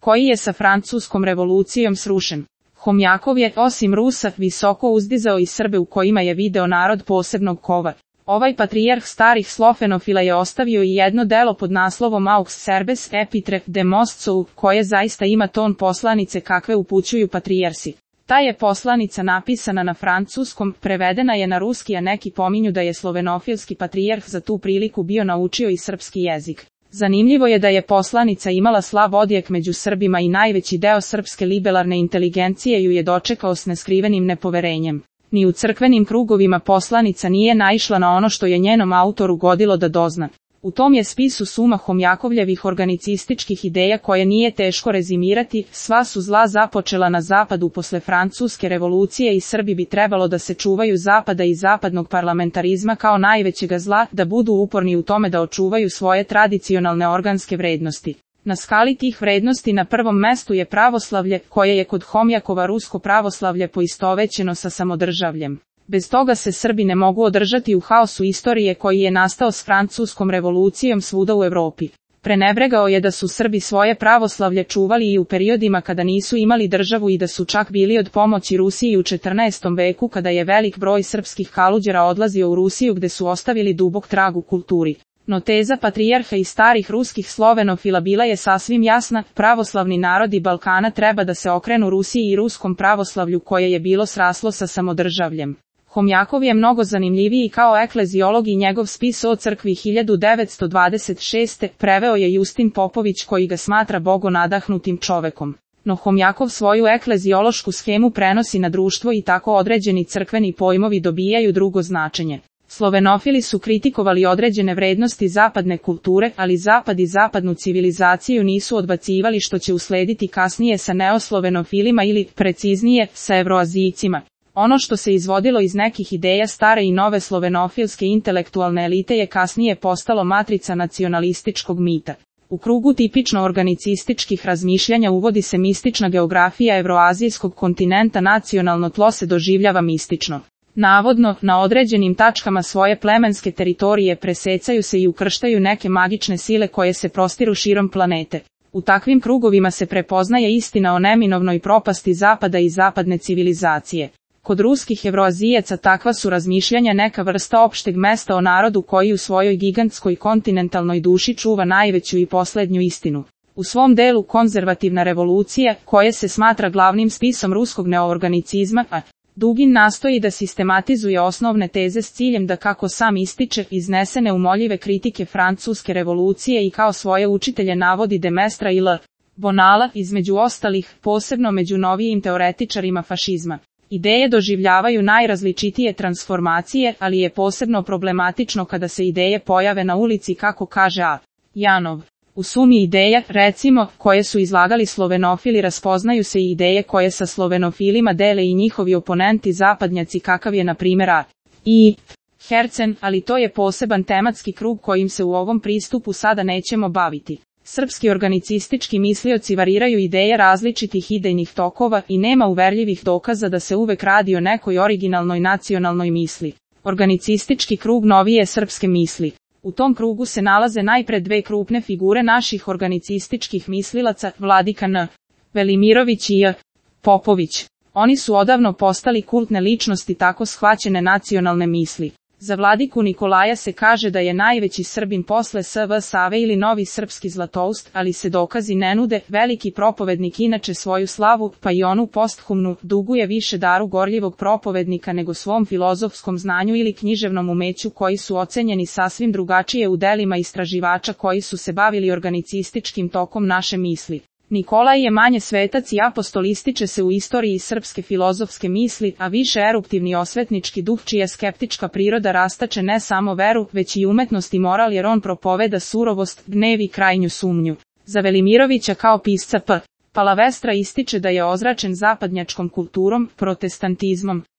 koji je sa francuskom revolucijom srušen. Homjakov je, osim Rusa, visoko uzdizao i Srbe u kojima je video narod posebnog kova. Ovaj patrijarh starih slofenofila je ostavio i jedno delo pod naslovom Aux Serbes Epitre de Mostsou, koje zaista ima ton poslanice kakve upućuju patrijarsi. Ta je poslanica napisana na francuskom, prevedena je na ruski, a neki pominju da je slovenofilski patrijarh za tu priliku bio naučio i srpski jezik. Zanimljivo je da je poslanica imala slab odjek među Srbima i najveći deo srpske liberalne inteligencije ju je dočekao s neskrivenim nepoverenjem. Ni u crkvenim krugovima poslanica nije naišla na ono što je njenom autoru godilo da dozna. U tom je spisu suma Homjakovljevih organicističkih ideja koje nije teško rezimirati, sva su zla započela na zapadu posle francuske revolucije i Srbi bi trebalo da se čuvaju zapada i zapadnog parlamentarizma kao najvećega zla, da budu uporni u tome da očuvaju svoje tradicionalne organske vrednosti. Na skali tih vrednosti na prvom mestu je pravoslavlje, koje je kod Homjakova rusko pravoslavlje poistovećeno sa samodržavljem. Bez toga se Srbi ne mogu održati u haosu istorije koji je nastao s francuskom revolucijom svuda u Evropi. Prenebregao je da su Srbi svoje pravoslavlje čuvali i u periodima kada nisu imali državu i da su čak bili od pomoći Rusiji u 14. veku kada je velik broj srpskih kaluđera odlazio u Rusiju gde su ostavili dubok trag u kulturi. No teza patrijarha i starih ruskih slovenofila bila je sasvim jasna, pravoslavni narodi Balkana treba da se okrenu Rusiji i ruskom pravoslavlju koje je bilo sraslo sa samodržavljem. Homjakov je mnogo zanimljiviji kao ekleziolog i njegov spis o crkvi 1926. preveo je Justin Popović koji ga smatra bogonadahnutim čovekom. No Homjakov svoju ekleziološku schemu prenosi na društvo i tako određeni crkveni pojmovi dobijaju drugo značenje. Slovenofili su kritikovali određene vrednosti zapadne kulture, ali zapad i zapadnu civilizaciju nisu odbacivali što će uslediti kasnije sa neoslovenofilima ili, preciznije, sa evroazijcima. Ono što se izvodilo iz nekih ideja stare i nove slovenofilske intelektualne elite je kasnije postalo matrica nacionalističkog mita. U krugu tipično organicističkih razmišljanja uvodi se mistična geografija evroazijskog kontinenta, nacionalno tlo se doživljava mistično. Navodno, na određenim tačkama svoje plemenske teritorije presecaju se i ukrštaju neke magične sile koje se prostiru širom planete. U takvim krugovima se prepoznaje istina o neminovnoj propasti zapada i zapadne civilizacije. Kod ruskih evroazijaca takva su razmišljanja neka vrsta opšteg mesta o narodu koji u svojoj gigantskoj kontinentalnoj duši čuva najveću i poslednju istinu. U svom delu Konzervativna revolucija, koje se smatra glavnim spisom ruskog neoorganicizma, Dugin nastoji da sistematizuje osnovne teze s ciljem da, kako sam ističe, iznese neumoljive kritike francuske revolucije i kao svoje učitelje navodi de Maistre i L. Bonala, između ostalih, posebno među novijim teoretičarima fašizma. Ideje doživljavaju najrazličitije transformacije, ali je posebno problematično kada se ideje pojave na ulici, kako kaže A. Janov. U sumi ideja, recimo, koje su izlagali slovenofili, raspoznaju se i ideje koje sa slovenofilima dele i njihovi oponenti zapadnjaci, kakav je na primjer A. I. Hercen, ali to je poseban tematski krug kojim se u ovom pristupu sada nećemo baviti. Srpski organicistički mislioci variraju ideje različitih idejnih tokova i nema uverljivih dokaza da se uvek radi o nekoj originalnoj nacionalnoj misli. Organicistički krug novije srpske misli. U tom krugu se nalaze najpre dve krupne figure naših organicističkih mislilaca, Vladika N. Velimirović i J. Popović. Oni su odavno postali kultne ličnosti tako shvaćene nacionalne misli. Za Vladiku Nikolaja se kaže da je najveći Srbin posle S.V. Save ili novi srpski Zlatoust, ali se dokazi ne nude. Veliki propovednik inače svoju slavu, pa i onu posthumnu, duguje više daru gorljivog propovednika nego svom filozofskom znanju ili književnom umeću koji su ocenjeni sasvim drugačije u delima istraživača koji su se bavili organicističkim tokom naše misli. Nikolaj je manje svetac i apostol, ističe se u istoriji srpske filozofske misli, a više eruptivni osvetnički duh čija skeptička priroda rastače ne samo veru, već i umetnost i moral, jer on propoveda surovost, gnev i krajnju sumnju. Za Velimirovića kao pisca P. Palavestra ističe da je ozračen zapadnjačkom kulturom, protestantizmom.